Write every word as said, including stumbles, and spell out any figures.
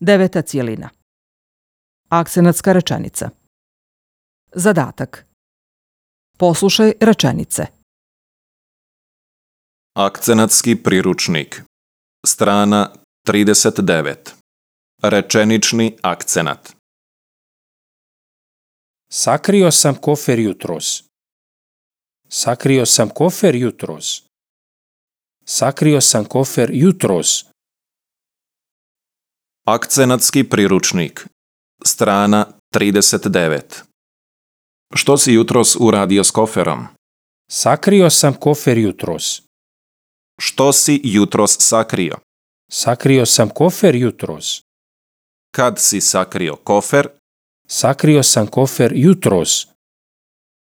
Deveta cijelina. Akcenatska rečenica. Zadatak. Poslušaj rečenice. Akcenatski priručnik. Strana trideset devet. Rečenični akcenat. Sakrio sam kofer jutros. Sakrio sam kofer jutros. Sakrio sam kofer jutros. Akcenatski priručnik. Strana trideset devet. Što si jutros uradio s koferom? Sakrio sam kofer jutros. Što si jutros sakrio? Sakrio sam kofer jutros. Kad si sakrio kofer? Sakrio sam kofer jutros.